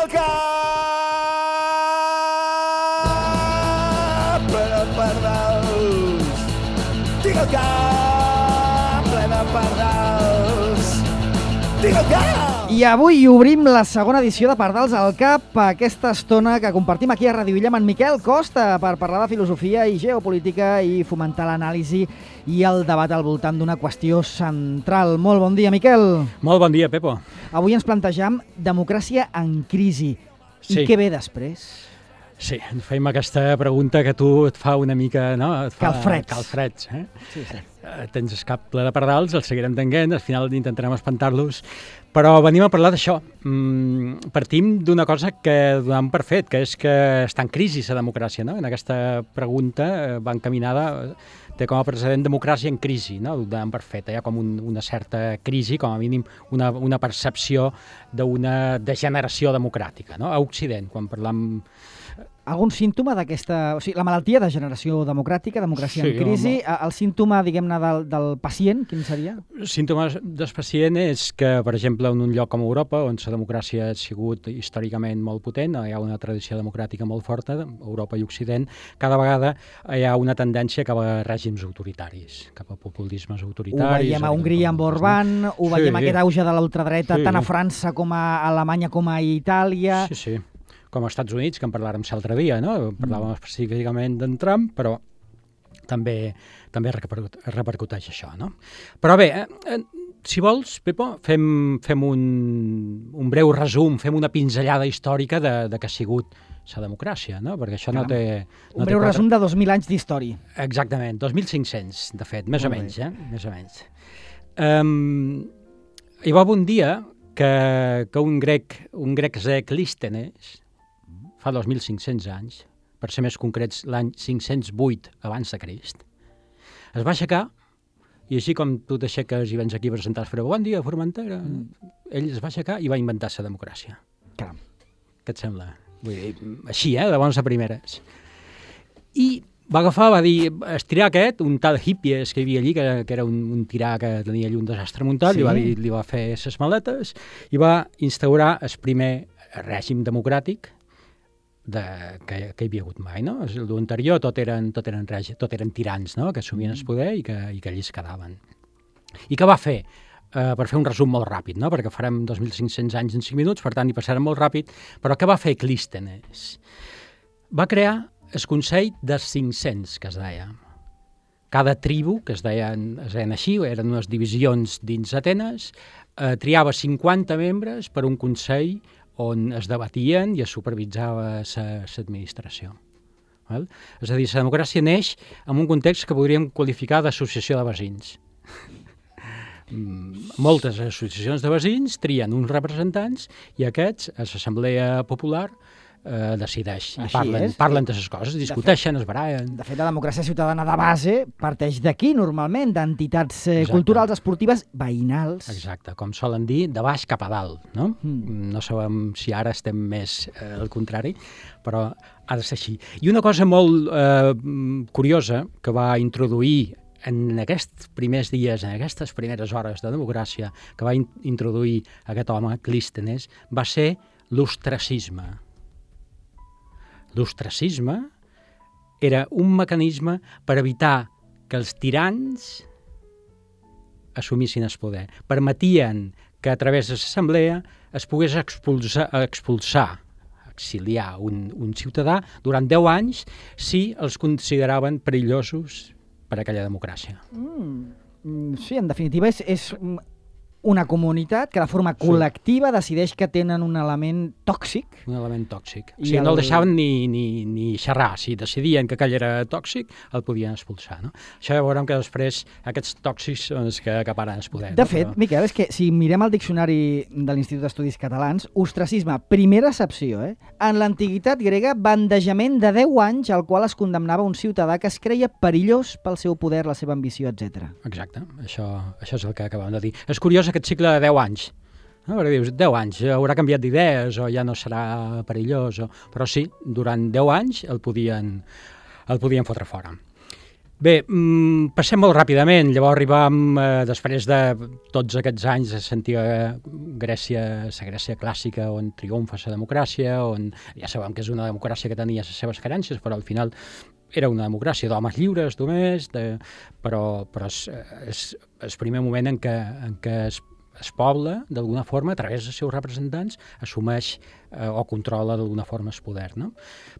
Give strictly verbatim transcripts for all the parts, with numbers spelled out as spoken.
el cap ple de pardals. Tinc el cap ple de pardals. Tinc el cap! I avui obrim la segona edició de Pardals al Cap, aquesta estona que compartim aquí a Ràdio Illa amb en Miquel Costa per parlar de filosofia i geopolítica i fomentar l'anàlisi i el debat al voltant d'una qüestió central. Molt bon dia, Miquel. Molt bon dia, Pepo. Avui ens plantejam democràcia en crisi. Sí. I què ve després? Sí, ens fem aquesta pregunta que tu et fa una mica, no? Et fa Calfreds. Calfreds, eh? Sí, sí. Eh, tens el cap ple de pardals, els seguirem tenint, al final intentarem espantar-los, però venim a parlar d'això. Mm, partim d'una cosa que donem per fet, que és que està en crisi la democràcia, no? En aquesta pregunta eh, va encaminada, té com a precedent democràcia en crisi, no? Ho donem per fet, hi ha com un, una certa crisi, com a mínim una, una percepció d'una degeneració democràtica, no? A Occident, quan parlam... Algun símptoma d'aquesta... O sigui, la malaltia de generació democràtica, democràcia Sí, en crisi, home. el símptoma, diguem-ne, del, del pacient, quin seria? Símptomes del pacient és que, per exemple, en un lloc com Europa, on la democràcia ha sigut històricament molt potent, hi ha una tradició democràtica molt forta, Europa i Occident, cada vegada hi ha una tendència cap a règims autoritaris, cap a populismes autoritaris. Ho veiem a Hongria amb Orbán, ho veiem Sí. aquest auge de l'ultradreta Sí. tant a França com a Alemanya com a Itàlia. Sí, sí. Com als Estats Units, que en parlàrem l'altre dia, no? Parlàvem específicament d'en Trump, però també també repercut, repercuteix això, no? Però bé, eh, si vols, Pepo, fem, fem un, un breu resum, fem una pinzellada històrica de, de què ha sigut la democràcia, no? Perquè això Caram. no té... No Un breu té resum de dos mil anys d'història. Exactament, dos mil cinc-cents, de fet, més Molt o bé. menys, eh? Més o menys. Um, hi va haver un dia que, que un grec, un grec zè Clístenes, fa dos mil cinc-cents anys, per ser més concrets l'any cinc-cents vuit abans de Crist, es va aixecar, i així com tu t'aixeques i vens aquí a presentar-se, però bon dia, Formentera, mm. ell es va aixecar i va inventar la democràcia. Caram. Què et sembla? Vull dir, així, eh, de bones a primeres. I va agafar, va dir, estirar aquest, un tal Hippies que hi havia allí, que, que era un, un tirà que tenia allí un desastre muntat, Sí. li, va dir, li va fer ses maletes i va instaurar el primer règim democràtic de, que, que hi havia hagut mai, no? L'anterior tot eren, tot eren, règim, tot eren tirans, no? Que assumien el poder i que, i que allí es quedaven. I què va fer? Uh, per fer un resum molt ràpid, no? Perquè farem dos mil cinc-cents anys en cinc minuts, per tant hi passarem molt ràpid, però què va fer Clístenes? Va crear el Consell dels cinc-cents, que es deia. Cada tribu, que es deien, es deien així, eren unes divisions dins Atenes, eh, triava cinquanta membres per un Consell on es debatien i es supervisava l'administració. És a dir, la democràcia neix en un context que podríem qualificar d'associació de veïns. Moltes associacions de veïns trien uns representants i aquests, a l'Assemblea Popular, eh, decideix. I Així parlen, és. parlen de les coses, discuteixen, es barallen. De fet, la democràcia ciutadana de base parteix d'aquí, normalment, d'entitats eh, Exacte. culturals, esportives, veïnals. Exacte, com solen dir, de baix cap a dalt, no? Mm. No sabem si ara estem més eh, al contrari, però ha de ser així. I una cosa molt eh, curiosa que va introduir en aquests primers dies, en aquestes primeres hores de democràcia, que va in introduir aquest home, Clístenes, va ser l'ostracisme. L'ostracisme era un mecanisme per evitar que els tirans assumissin el poder. Permetien que a través de l'assemblea es pogués expulsar, expulsar exiliar un, un ciutadà durant deu anys si els consideraven perillosos per a aquella democràcia. Mm. Sí, en definitiva, és, és una comunitat que de forma col·lectiva decideix que tenen un element tòxic. Un element tòxic. O I sigui, el- no el deixaven ni, ni, ni xerrar. Si decidien que aquell era tòxic, el podien expulsar. No? Això ja veurem que després aquests tòxics són els que acaparen el poder. De no? fet, Però... Miquel, és que si mirem el diccionari de l'Institut d'Estudis Catalans, ostracisme, primera accepció, eh? En l'antiguitat grega, bandejament de deu anys al qual es condemnava un ciutadà que es creia perillós pel seu poder, la seva ambició, etcètera. Exacte, això, això és el que acabem de dir. És curiós aquest cicle de deu anys. No? Perquè dius, deu anys, haurà canviat d'idees o ja no serà perillós, o... però sí, durant deu anys el podien, el podien fotre fora. Bé, mm, passem molt ràpidament. Llavors arribam, eh, després de tots aquests anys de sentir Grècia, la Grècia clàssica, on triomfa la democràcia, on ja sabem que és una democràcia que tenia les seves carències, però al final era una democràcia d'homes lliures només, de, però, però és, és el primer moment en què, en què es, es poble, d'alguna forma, a través dels seus representants, assumeix eh, o controla d'alguna forma el poder. No?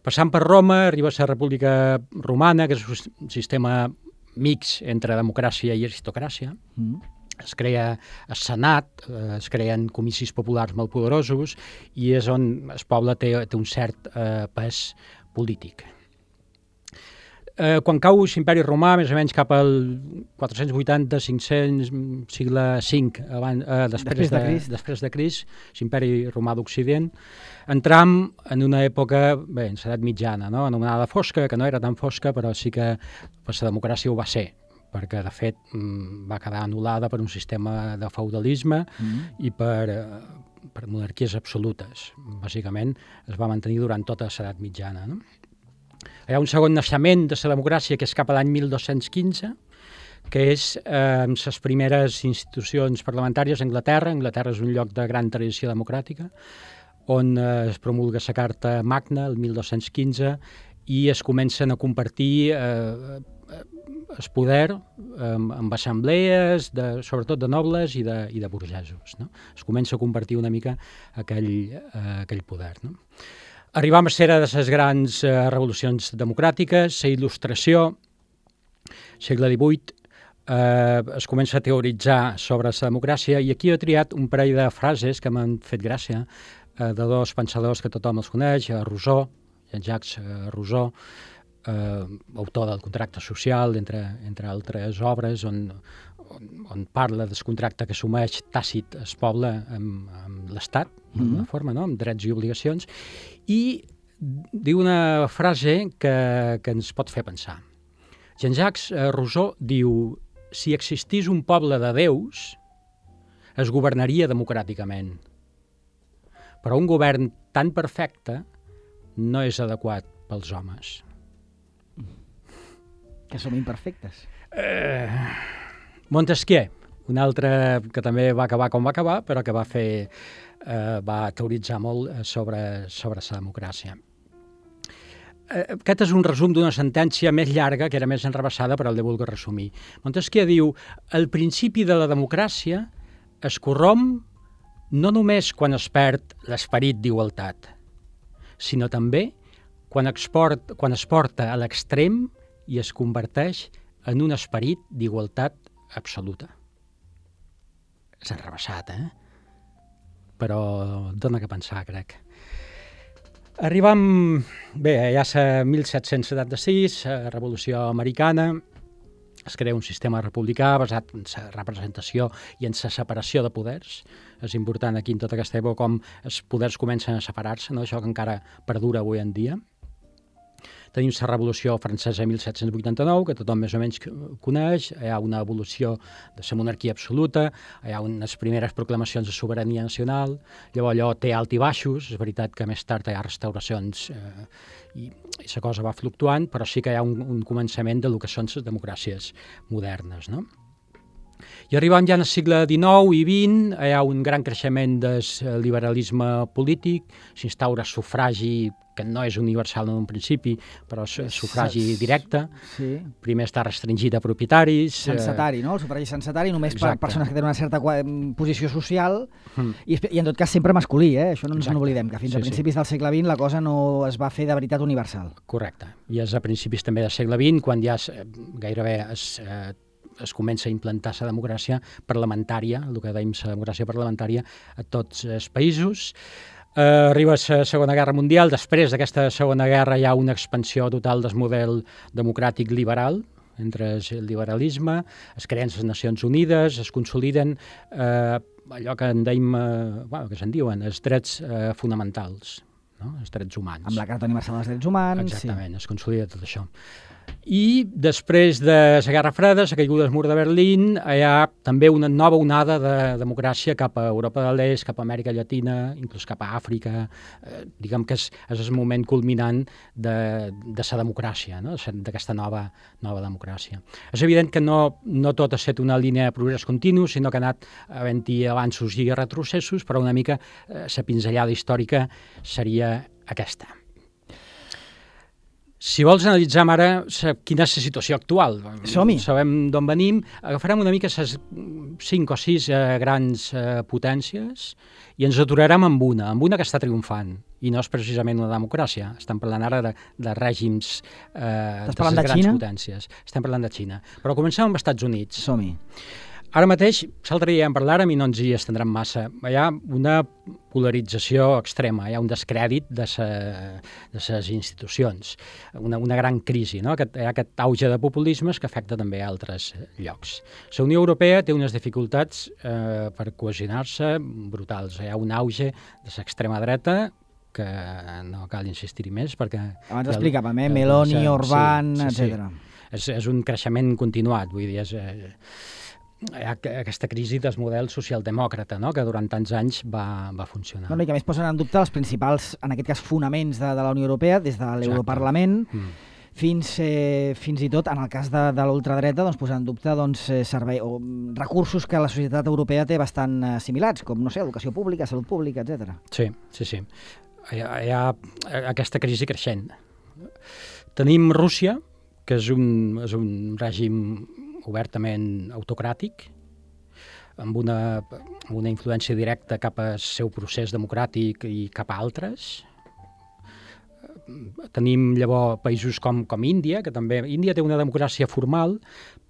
Passant per Roma, arriba a la República Romana, que és un sistema mix entre democràcia i aristocràcia. Mm. Es crea el Senat, eh, es creen comicis populars molt poderosos i és on el poble té, té un cert eh, pes polític. Eh, quan cau l'imperi romà, més o menys cap al quatre-cents vuitanta cinc-cents, segle cinc, abans, eh, després, després de, de Crist, després de Crist, l'imperi romà d'Occident, entram en una època, bé, en l'edat mitjana, no? Anomenada fosca, que no era tan fosca, però sí que pues, la democràcia ho va ser, perquè de fet va quedar anul·lada per un sistema de feudalisme mm. i per, per monarquies absolutes. Bàsicament es va mantenir durant tota l'edat mitjana, no? Hi ha un segon naixement de la democràcia que és cap a l'any mil dos-cents quinze, que és eh, les primeres institucions parlamentàries a Anglaterra. Anglaterra és un lloc de gran tradició democràtica, on eh, es promulga la Carta Magna el mil dos-cents quinze i es comencen a compartir eh, el poder eh, amb assemblees, de, sobretot de nobles i de, i de burgesos. No? Es comença a compartir una mica aquell, eh, aquell poder. No? Arribam a ser de les grans eh, revolucions democràtiques, la il·lustració, segle divuit, eh, es comença a teoritzar sobre la democràcia i aquí he triat un parell de frases que m'han fet gràcia, eh, de dos pensadors que tothom els coneix, Rousseau, Jean-Jacques Rousseau, eh, autor del contracte social, entre, entre altres obres, on, on, on parla del contracte que assumeix tàcit el poble amb, amb l'Estat, d'alguna mm-hmm. forma, no? Amb drets i obligacions, i diu una frase que, que ens pot fer pensar. Jean-Jacques Rousseau diu: si existís un poble de déus, es governaria democràticament. Però un govern tan perfecte no és adequat pels homes. Que som imperfectes. Eh, Montesquieu, un altre que també va acabar com va acabar, però que va fer, eh, va teoritzar molt sobre, sobre la democràcia. Eh, aquest és un resum d'una sentència més llarga, que era més enrevessada, però el de vulgui resumir. Montesquieu diu: el principi de la democràcia es corromp no només quan es perd l'esperit d'igualtat, sinó també quan, export, quan es porta a l'extrem i es converteix en un esperit d'igualtat absoluta. És enrevessat, eh? Però dona que pensar, crec. Arribam, bé, ja és mil set-cents setanta-sis, Revolució Americana, es crea un sistema republicà basat en la representació i en la separació de poders. És important aquí en tota aquesta època com els poders comencen a separar-se, no? Això que encara perdura avui en dia. Tenim la Revolució Francesa mil set-cents vuitanta-nou, que tothom més o menys coneix. Hi ha una evolució de la monarquia absoluta, hi ha unes primeres proclamacions de sobirania nacional, llavors allò té alt i baixos, és veritat que més tard hi ha restauracions eh, i, i la cosa va fluctuant, però sí que hi ha un, un començament del que són les democràcies modernes, no? I arribant ja al segle dinou i vint, hi ha un gran creixement del liberalisme polític, s'instaura el sufragi, que no és universal en un principi, però el sufragi directe. Sí. Primer està restringit a propietaris. Censatari, no? El sufragi censatari, només Exacte. Per persones que tenen una certa posició social, mm. i, i en tot cas sempre masculí, eh? Això no ens n'oblidem, que fins sí, a principis sí. del segle vint la cosa no es va fer de veritat universal. Correcte. I és a principis també del segle vint, quan ja es, gairebé es... Eh, es comença a implantar la democràcia parlamentària, el que dèiem la democràcia parlamentària a tots els països. Uh, arriba la Segona Guerra Mundial, després d'aquesta Segona Guerra hi ha una expansió total del model democràtic liberal, entre el liberalisme, es creen les Nacions Unides, es consoliden uh, allò que en dèiem, uh, bueno, que se'n diuen, els drets uh, fonamentals. no? Els drets humans. Amb la Carta Universal dels Drets Humans. Exactament, sí. Es consolida tot això. I després de la Guerra Freda, la caiguda del mur de Berlín, hi ha també una nova onada de democràcia cap a Europa de l'Est, cap a Amèrica Llatina, inclús cap a Àfrica. Eh, diguem que és, és el moment culminant de, de la democràcia, no? D'aquesta nova, nova democràcia. És evident que no, no tot ha estat una línia de progrés continu, sinó que ha anat havent-hi avanços i retrocessos, però una mica la eh, pinzellada històrica seria aquesta. Si vols analitzar ara quina és la situació actual, som-hi. Sabem d'on venim, agafarem una mica les cinc o sis eh, grans eh, potències i ens aturarem amb una, amb una que està triomfant, i no és precisament una democràcia. Estem parlant ara de, de règims eh, de les grans Xina? potències. Estem parlant de Xina. Però comencem amb els Estats Units. Som-hi. Ara mateix, l'altre dia en parlàrem i no ens hi estendrem massa. Hi ha una polarització extrema, hi ha un descrèdit de les institucions, una, una gran crisi, no? Aquest, hi ha aquest auge de populismes que afecta també a altres llocs. La Unió Europea té unes dificultats eh, per cohesionar-se brutals. Hi ha un auge de l'extrema dreta que no cal insistir-hi més perquè... Abans explicàvem, eh? Meloni, Orbán, sí, sí, etcètera. Sí. És, és un creixement continuat, vull dir, és... Eh, hi ha aquesta crisi del model socialdemòcrata, no? Que durant tants anys va, va funcionar. No, i que més posen en dubte els principals, en aquest cas, fonaments de, de la Unió Europea, des de l'Europarlament mm. fins, eh, fins i tot, en el cas de, de l'ultradreta, doncs, posar en dubte doncs, servei, o recursos que la societat europea té bastant assimilats, com, no sé, educació pública, salut pública, etcètera. Sí, sí, sí. Hi ha, hi ha aquesta crisi creixent. Tenim Rússia, que és un, és un règim obertament autocràtic, amb una, amb una influència directa cap al seu procés democràtic i cap a altres. Tenim llavors països com, com Índia, que també... Índia té una democràcia formal,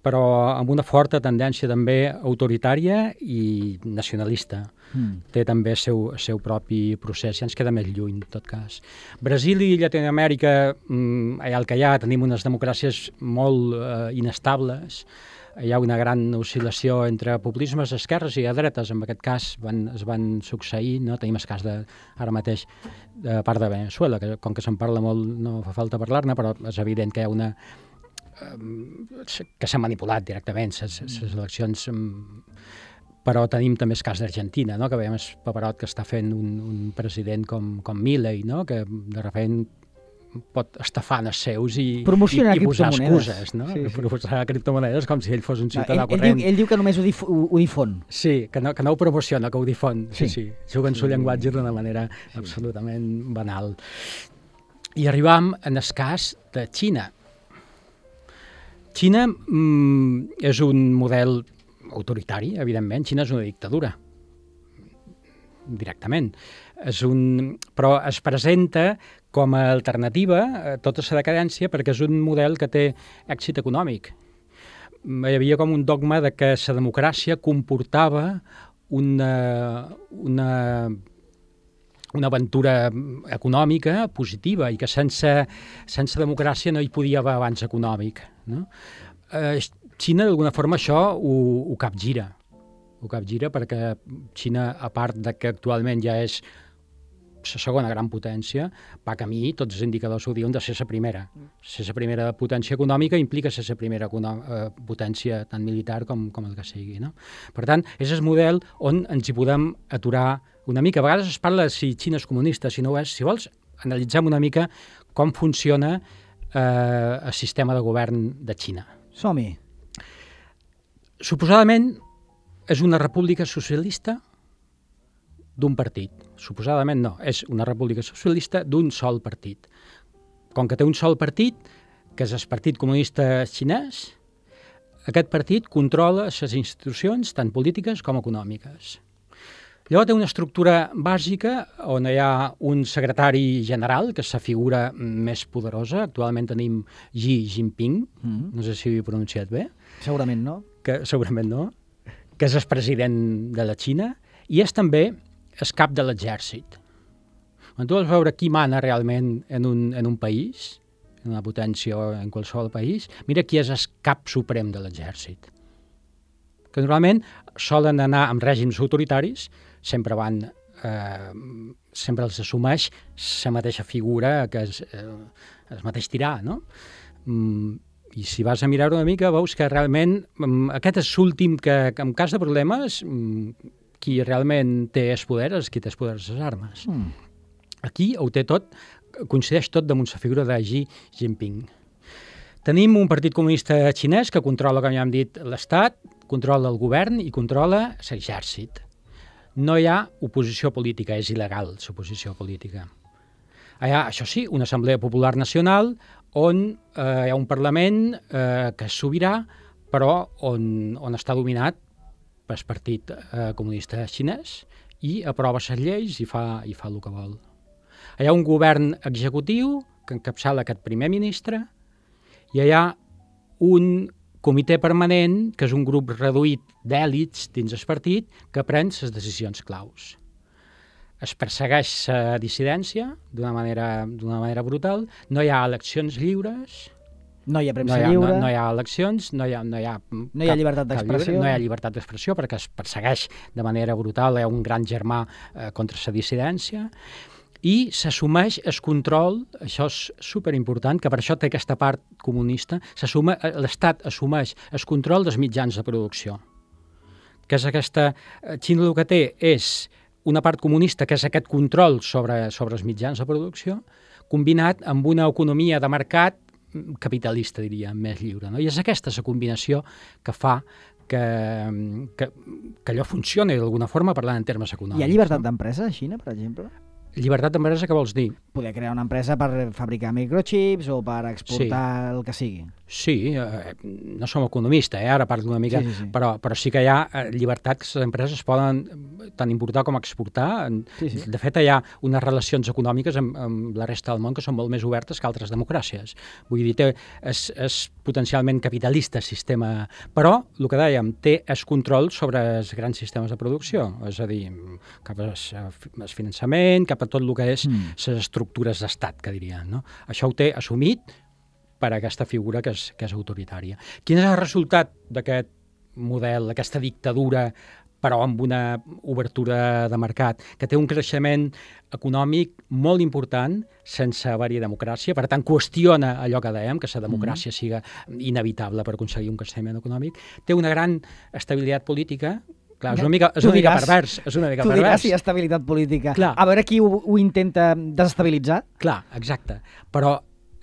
però amb una forta tendència també autoritària i nacionalista. Mm. Té també el seu, seu propi procés, ja ens queda més lluny, en tot cas. Brasil i Llatinoamèrica, mm, allà el que hi ha, tenim unes democràcies molt eh, inestables. Hi ha una gran oscil·lació entre populismes d'esquerres i de dretes, en aquest cas van, es van succeir, no? Tenim el cas de, ara mateix, de part de Venezuela, que com que se'n parla molt no fa falta parlar-ne, però és evident que hi ha una... que s'ha manipulat directament les eleccions, però tenim també el cas d'Argentina, no? Que veiem el paperot que està fent un, un president com, com Milei, no? Que de repent pot estafar els seus i, i, i posar excuses, no? Sí, sí. Proposar criptomonedes com si ell fos un ciutadà no, ell, corrent. Ell diu, ell diu que només ho, dif ho, ho difon. Sí, que no, que no ho promociona, que ho difon. Sí, sí. sí. Juga en sí. el llenguatge d'una manera sí. absolutament banal. I arribam en el cas de Xina. Xina mm, és un model autoritari, evidentment. Xina és una dictadura, directament. És un... Però es presenta com a alternativa a tota la decadència perquè és un model que té èxit econòmic. Hi havia com un dogma de que la democràcia comportava una, una, una aventura econòmica positiva i que sense, sense democràcia no hi podia haver avanç econòmic, no? Eh, Xina, d'alguna forma, això ho, ho capgira. Ho capgira perquè Xina, a part de que actualment ja és la segona gran potència, va camí, tots els indicadors ho diuen, de ser la primera. Ser la primera potència econòmica implica ser la primera eh, potència tant militar com, com el que sigui, no? Per tant, és el model on ens hi podem aturar una mica. A vegades es parla de si Xina és comunista, si no ho és. Si vols, analitzem una mica com funciona eh, el sistema de govern de Xina. Som-hi. Suposadament és una república socialista d'un partit. Suposadament no, és una república socialista d'un sol partit. Com que té un sol partit, que és el Partit Comunista Xinès, aquest partit controla les institucions tant polítiques com econòmiques. Llavors té una estructura bàsica on hi ha un secretari general, que és la figura més poderosa. Actualment tenim Xi Jinping, mm-hmm. no sé si ho he pronunciat bé. Segurament no. Que, segurament no. Que és el president de la Xina i és també el cap de l'exèrcit. Quan tu vols veure qui mana realment en un, en un país, en una potència o en qualsevol país, mira qui és el cap suprem de l'exèrcit. Que normalment solen anar amb règims autoritaris, sempre van eh, sempre els assumeix la mateixa figura, que és eh, el mateix tirà, no? Mm, I si vas a mirar una mica, veus que realment mm, aquest és l'últim que, que en cas de problemes, mm, qui realment té el poder és qui té el poder de les armes. Mm. Aquí ho té tot, coincideix tot damunt la figura de Xi Jinping. Tenim un partit comunista xinès que controla, com ja hem dit, l'Estat, controla el govern i controla l'exèrcit. No hi ha oposició política, és il·legal l'oposició política. Hi ha, això sí, una Assemblea Popular Nacional on eh, hi ha un Parlament eh, que és sobirà, però on, on està dominat pel Partit eh, Comunista Xinès i aprova les lleis i fa, i fa el que vol. Hi ha un govern executiu que encapçala aquest primer ministre i hi ha un comitè permanent, que és un grup reduït d'èlits dins el partit, que pren les decisions claus. Es persegueix la dissidència d'una manera, d'una manera brutal, no hi ha eleccions lliures, no hi ha premsa no hi ha, lliure, no, no hi ha eleccions, no hi ha, no hi ha, no hi ha llibertat d'expressió, no hi ha llibertat d'expressió perquè es persegueix de manera brutal, hi ha un gran germà eh, contra la dissidència, i s'assumeix el control, això és superimportant, que per això té aquesta part comunista, l'Estat assumeix el control dels mitjans de producció. Que és aquesta... Xina el que té és una part comunista, que és aquest control sobre, sobre els mitjans de producció, combinat amb una economia de mercat capitalista, diria, més lliure. No? I és aquesta la combinació que fa que, que, que allò funcioni d'alguna forma, parlant en termes econòmics. Hi ha llibertat no? d'empresa a Xina, per exemple? Llibertat d'empresa, què vols dir? Poder crear una empresa per fabricar microchips o per exportar sí. el que sigui. Sí, eh, no som economistes, eh? Ara parlo una mica, sí, sí, sí. Però, però sí que hi ha llibertat que les empreses poden tant importar com exportar. Sí, sí. De fet, hi ha unes relacions econòmiques amb, amb la resta del món que són molt més obertes que altres democràcies. Vull dir, té, és, és potencialment capitalista el sistema, però, el que dèiem, té el control sobre els grans sistemes de producció, és a dir, cap al finançament, cap a tot el que és mm. les estructures d'estat, que dirien. No? Això ho té assumit per aquesta figura que és, que és autoritària. Quin és el resultat d'aquest model, d'aquesta dictadura, però amb una obertura de mercat, que té un creixement econòmic molt important sense haver-hi democràcia, per tant qüestiona allò que dèiem, que la democràcia mm. siga inevitable per aconseguir un creixement econòmic, té una gran estabilitat política. Clar, és una mica, és una mica pervers. És una mica tu pervers. diràs si hi ha estabilitat política. Clar. A veure qui ho, ho intenta desestabilitzar. Clar, exacte. Però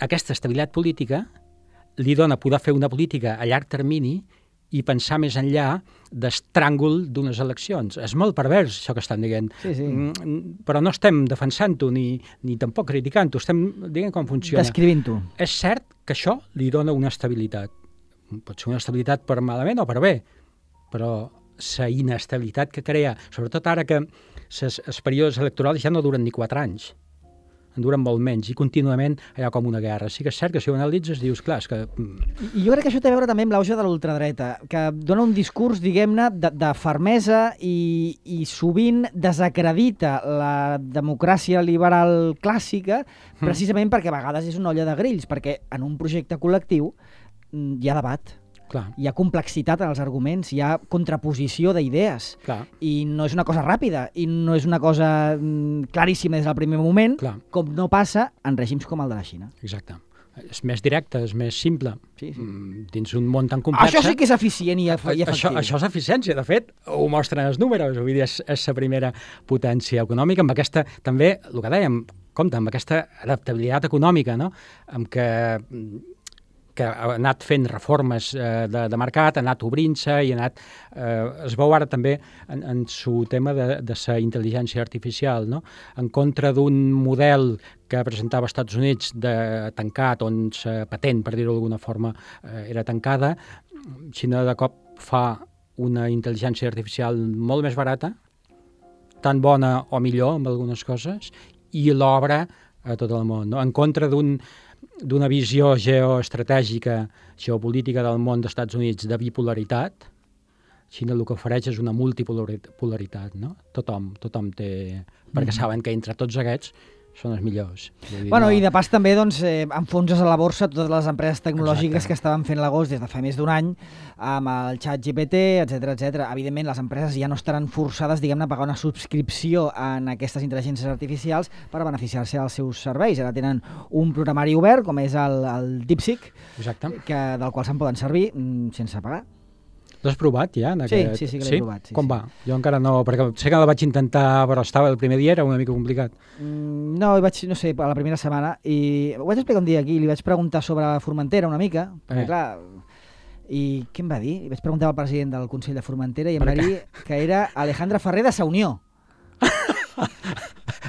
aquesta estabilitat política li dona poder fer una política a llarg termini i pensar més enllà d'estràngol d'unes eleccions. És molt pervers, això que estan dient. Sí, sí. Però no estem defensant-ho ni, ni tampoc criticant-ho, estem dient com funciona. Descrivint-ho. És cert que això li dona una estabilitat. Pot ser una estabilitat per malament o per bé, però la inestabilitat que crea, sobretot ara que els períodes electorals ja no duren ni quatre anys, en duren molt menys, i contínuament hi ha com una guerra. Sí que és cert que si ho analitzes dius, clar, és que... I jo crec que això té a veure també amb l'auge de l'ultradreta, que dona un discurs, diguem-ne, de, de fermesa i, i sovint desacredita la democràcia liberal clàssica, precisament mm. perquè a vegades és una olla de grills, perquè en un projecte col·lectiu hi ha debat. Clar. Hi ha complexitat en els arguments, hi ha contraposició d'idees. Clar. I no és una cosa ràpida, i no és una cosa mm, claríssima des del primer moment, Clar. com no passa en règims com el de la Xina. Exacte. És més directe, és més simple. Sí, sí. Dins un món tan complex... Això sí que és eficient i, eff i efectiu. Això, això és eficiència, de fet, ho mostren els números. Vull dir, és, és la primera potència econòmica, amb aquesta, també, el que dèiem, compte, amb aquesta adaptabilitat econòmica, no? Amb què... que ha anat fent reformes eh, de, de mercat, ha anat obrint-se i ha anat... Eh, es veu ara també en, en su tema de, de la intel·ligència artificial, no? En contra d'un model que presentava als Estats Units de tancat, on la patent, per dir-ho d'alguna forma, eh, era tancada, Xina de cop fa una intel·ligència artificial molt més barata, tan bona o millor amb algunes coses, i l'obre a tot el món, no? En contra d'un d'una visió geoestratègica, geopolítica del món dels Estats Units de bipolaritat, Xina el que ofereix és una multipolaritat, no? Tothom, tothom té... Perquè saben que entre tots aquests són els millors. Dir, Bueno, no... i de pas també doncs, eh, enfonses a la borsa totes les empreses tecnològiques Exacte. que estaven fent l'agost des de fa més d'un any amb el xat G P T, etcètera, etcètera. Evidentment, les empreses ja no estaran forçades, diguem-ne, a pagar una subscripció en aquestes intel·ligències artificials per beneficiar-se dels seus serveis. Ara tenen un programari obert, com és el, el DeepSeek, Exacte. que, del qual se'n poden servir mm, sense pagar. L'has provat ja? En Sí, aquest... sí, sí que l'he provat, sí, Com sí. va? Jo encara no, perquè sé que la vaig intentar, però estava el primer dia, era una mica complicat. Mm, no, hi vaig, no sé, a la primera setmana, i ho vaig explicar un dia aquí, li vaig preguntar sobre Formentera una mica, perquè Eh. clar, i què em va dir? Li vaig preguntar al president del Consell de Formentera i em Per va dir que era Alejandra Ferrer de Saunió.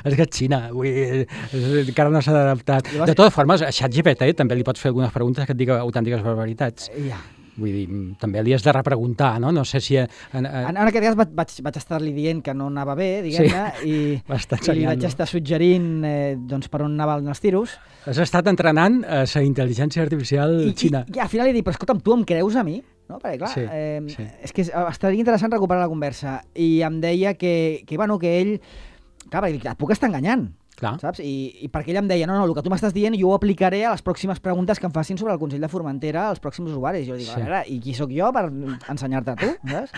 És que és Xina, vull dir, és- encara no s'ha adaptat. Llavors- De totes formes, a ChatGPT també li pots fer algunes preguntes que et digui autèntiques barbaritats. Ja. Vull dir, mm, també li has de repreguntar, no? No sé si... En, en, En, en aquest cas vaig, vaig, vaig estar-li dient que no anava bé, diguem-ne, i, Va estar i li vaig ensenyant-lo. estar suggerint eh, doncs, per on anaven els tiros. Has estat entrenant a la intel·ligència artificial I, xina. i, i al final li dic, però escolta'm, tu em creus a mi? No? Perquè clar, Sí, eh, sí. és que és- estaria interessant recuperar la conversa. I em deia que, que, bueno, que ell... Clar, perquè dic, et puc estar enganyant, Clar. saps? I, I perquè ell em deia, no, no, el que tu m'estàs dient jo ho aplicaré a les pròximes preguntes que em facin sobre el Consell de Formentera als pròxims usuaris. Jo dic, Sí. a veure, i qui sóc jo per ensenyar-te a tu, saps?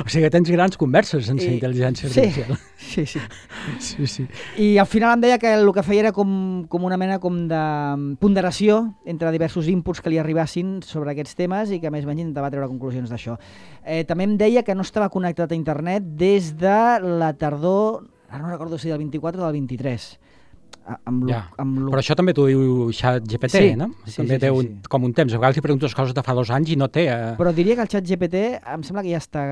O sigui que tens grans converses sense I- intel·ligència sí, artificial. sí, sí. Sí, sí. I al final em deia que el que feia era com, com una mena com de ponderació entre diversos inputs que li arribassin sobre aquests temes i que més o menys intentava treure conclusions d'això. Eh, també em deia que no estava connectat a internet des de la tardor, ara no recordo si del vint-i-quatre o del vint-i-tres. A- Amb lo, Ja. amb lo... Però això també t'ho diu ChatGPT, Sí, no? sí, també sí, té sí, un, sí. com un temps. A vegades li preguntes coses de fa dos anys i no té... Eh... Però diria que el xat G P T em sembla que ja està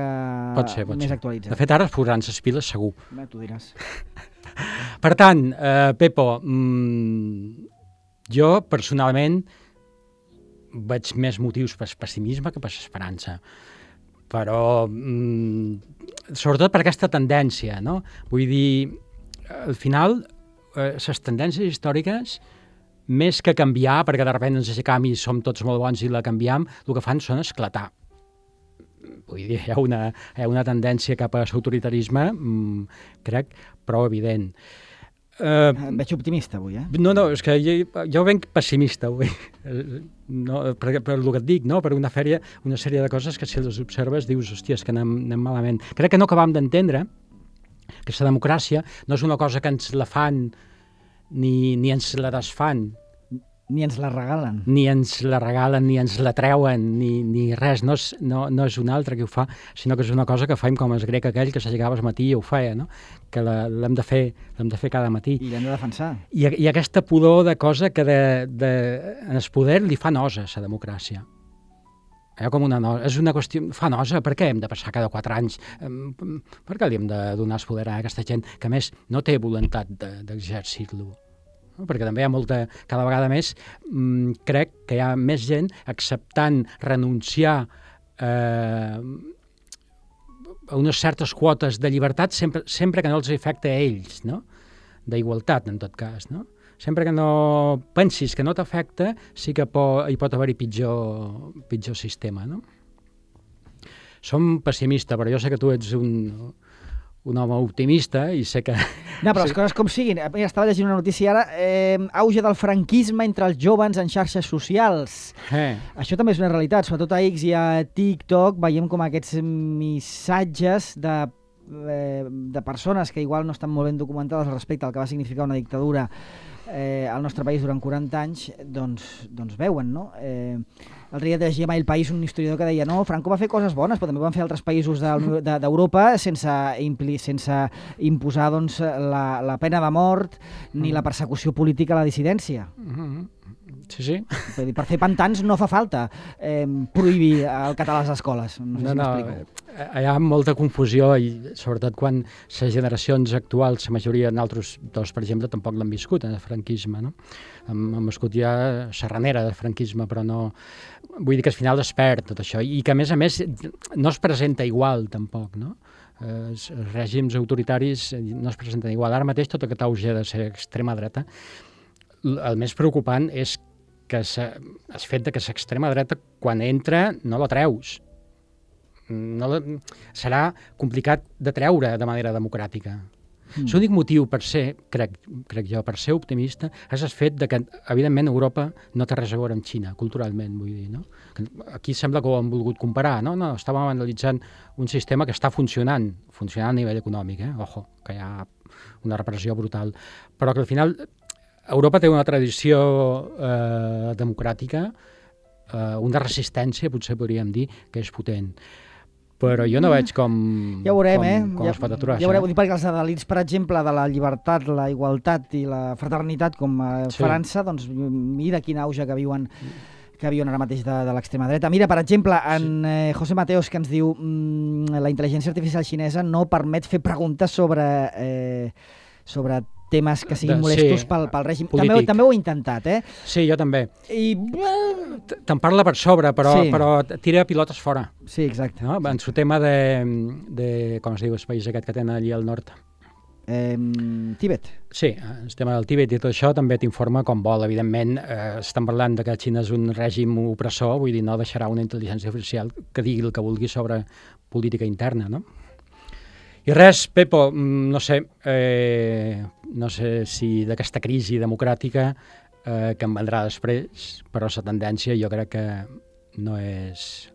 Pot ser, pot més ser. actualitzat. De fet, ara es posaran les piles segur. Bé, tu diràs. Per tant, eh, Pepo, mmm, jo personalment veig més motius per pessimisme que per esperança. Però, mmm, sobretot per aquesta tendència, no? Vull dir, al final, eh, les tendències històriques, més que canviar, perquè de sobte ens aixecam i som tots molt bons i la canviem, el que fan són esclatar. Vull dir, hi ha una, hi ha una tendència cap a l'autoritarisme, mmm, crec, prou evident. Eh, Em veig optimista avui, eh? no, no, és que jo, jo venc pessimista avui, no, per, per el que et dic, no? Per una, fèria, una sèrie de coses que si les observes dius, hòstia, és que anem, anem malament. Crec que no acabam d'entendre que la democràcia no és una cosa que ens la fan ni, ni ens la desfan, Ni ens la regalen. ni ens la regalen, ni ens la treuen, ni, ni res, no és, no, no és un altre que ho fa, sinó que és una cosa que faim com el grec aquell que s'aixecava al matí i ho feia, no? Que la- l'hem de, fer, l'hem de fer cada matí. I l'hem de defensar. I, I aquesta pudor de cosa que de, de, en el poder li fa nosa a la democràcia. Eh, com una nosa. És una qüestió... Fa nosa. Per què hem de passar cada quatre anys? Em, Per què li hem de donar el poder a aquesta gent que, a més, no té voluntat de- d'exercir-lo? No? Perquè també hi ha molta... Cada vegada més mm, crec que hi ha més gent acceptant renunciar eh, a unes certes quotes de llibertat sempre, sempre que no els afecta a ells, no? D'igualtat, en tot cas, no? Sempre que no pensis que no t'afecta, sí que po, hi pot haver-hi pitjor, pitjor sistema, no? Som pessimista, però jo sé que tu ets un, un home optimista i sé que... No, però les coses com siguin. Mira, estava llegint una notícia ara. Eh, auge del franquisme entre els joves en xarxes socials. Eh, Això també és una realitat. Sobretot a X i a TikTok veiem com aquests missatges de, eh, de persones que igual no estan molt ben documentades respecte al que va significar una dictadura eh, al nostre país durant quaranta anys, doncs, doncs veuen, no? Eh, L'altre dia llegia a El País un historiador que deia no, Franco va fer coses bones, però també ho van fer altres països d'Europa de, sense, impli, sense imposar doncs, la, la pena de mort ni la persecució política a la dissidència. sí, sí. Per, dir, per fer pantans no fa falta eh, prohibir el català a les escoles. No sé No, si no, m'explico. eh, hi ha molta confusió i sobretot quan les generacions actuals, la majoria, nosaltres dos, per exemple, tampoc l'han viscut en el franquisme, no? Hem, hem viscut ja la ranera del franquisme, però no... Vull dir que al final es perd tot això i que, a més a més, no es presenta igual, tampoc, no? Eh, els règims autoritaris no es presenten igual. Ara mateix tot aquest auge de ser extrema dreta, el més preocupant és que se, el fet de que l'extrema dreta, quan entra, no la treus. No la, serà complicat de treure de manera democràtica. Mm. L'únic motiu per ser, crec, crec jo, per ser optimista és el fet de que, evidentment, Europa no té res a veure amb Xina, culturalment, vull dir, no? Aquí sembla que ho han volgut comparar, no? No, estàvem analitzant un sistema que està funcionant, funcionant a nivell econòmic, eh? Ojo, que hi ha una repressió brutal, però que al final Europa té una tradició eh, democràtica, eh, una resistència, potser podríem dir, que és potent. Però jo no veig com, ja veurem, com, eh? com ja, es pot aturar ja veurem, això. perquè els adalits, per exemple, de la llibertat, la igualtat i la fraternitat, com a Sí. França, doncs mira quin auge que viuen que viuen ara mateix de, de l'extrema dreta. Mira, per exemple, en eh, José Mateos, que ens diu mmm, la intel·ligència artificial xinesa no permet fer preguntes sobre, eh, sobre temes que siguin De- molestos sí, pel, pel règim. polític. També, també ho he intentat, eh? Sí, jo també. I... Te'n parla per sobre, però, Sí. però tira pilotes fora. Sí, exacte. No? En el tema de, de, com es diu, el país aquest que tenen allí al nord. Eh, Tíbet. Sí, el tema del Tíbet i tot això també t'informa com vol. Evidentment, eh, estan parlant de que Xina és un règim opressor, vull dir, no deixarà una intel·ligència artificial que digui el que vulgui sobre política interna, no? I res, Pepo, no sé, eh, no sé si d'aquesta crisi democràtica eh, que en vendrà després, però la tendència jo crec que no és,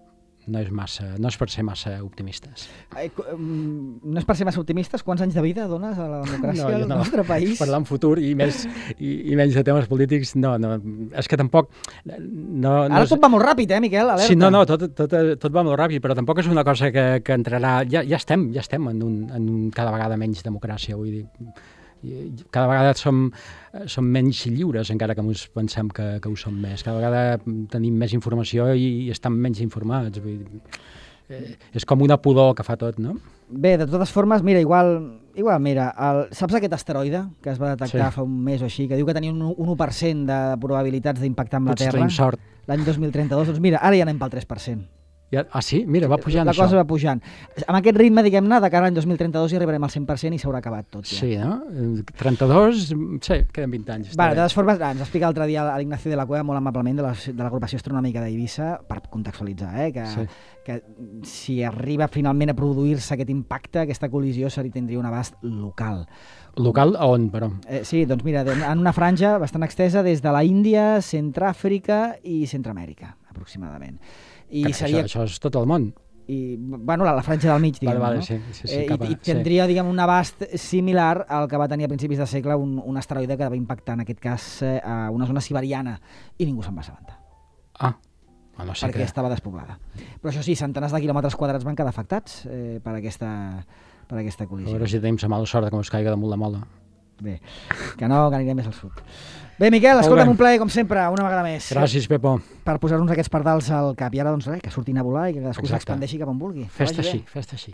no és, massa, no és per ser massa optimistes. Eh, no és per ser massa optimistes? Quants anys de vida dones a la democràcia No, jo al no. nostre país? Parlar en futur i, més, i, i menys de temes polítics, no, no, és que tampoc... No, no Ara és... tot va molt ràpid, eh, Miquel? Alerta. Sí, no, no, tot, tot, tot va molt ràpid, però tampoc és una cosa que, que entrarà... Ja, ja estem, ja estem en, un, en un cada vegada menys democràcia, vull dir. Cada vegada som, som menys lliures, encara que ens pensem que, que ho som més. Cada vegada tenim més informació i, i estem menys informats. Vull dir, eh, és com una pudor que fa tot, no? Bé, de totes formes, mira, igual, igual mira, el, saps aquest asteroide que es va detectar Sí. fa un mes o així, que diu que tenia un, un u per cent de probabilitats d'impactar amb la Potser Terra tenim sort. l'any dos mil trenta-dos? Doncs mira, ara ja anem pel tres per cent. Ja, ah, sí? Mira, va pujant la això. cosa va pujant. Amb aquest ritme, diguem-ne, de cara a l'any dos mil trenta-dos hi arribarem al cent per cent i s'haurà acabat tot ja. Sí, no? trenta-dos, sí, queden vint anys. Vale, de totes formes, ens explica l'altre dia l'Ignacio de la Cueva molt amablement de la- de l'agrupació astronòmica d'Eivissa, per contextualitzar, eh, que, Sí. que si arriba finalment a produir-se aquest impacte, aquesta col·lisió seria, tindria un abast local. Local a on, però? Eh, sí, doncs mira, en una franja bastant extesa des de la Índia, Centràfrica i Centroamèrica, aproximadament. I Carai, seria... això, això és tot el món. I, bueno, la, la franja del mig, diguem, Vale, vale, no? sí, sí, sí, eh, cap a- i, I tindria, diguem, un abast similar al que va tenir a principis de segle un, un asteroide que va impactar, en aquest cas, eh, a una zona siberiana, i ningú se'n va assabentar, Ah, a no sé perquè què. estava despoblada. Però això sí, centenars de quilòmetres quadrats van quedar afectats eh, per aquesta, per aquesta A col·lisió. veure si tenim la mala sort de que ens caigui damunt la mola. Bé, que no, que anirem més al sud. Bé, Miquel, Molt escolta'm, bé. un plaer, com sempre, una vegada més. Gràcies, Pepo. Per posar-nos aquests pardals al cap. I ara, doncs res, que surtin a volar i que cadascú Exacte. s'expandeixi cap on vulgui. Que Fes-te vagi bé. així, fes-te així.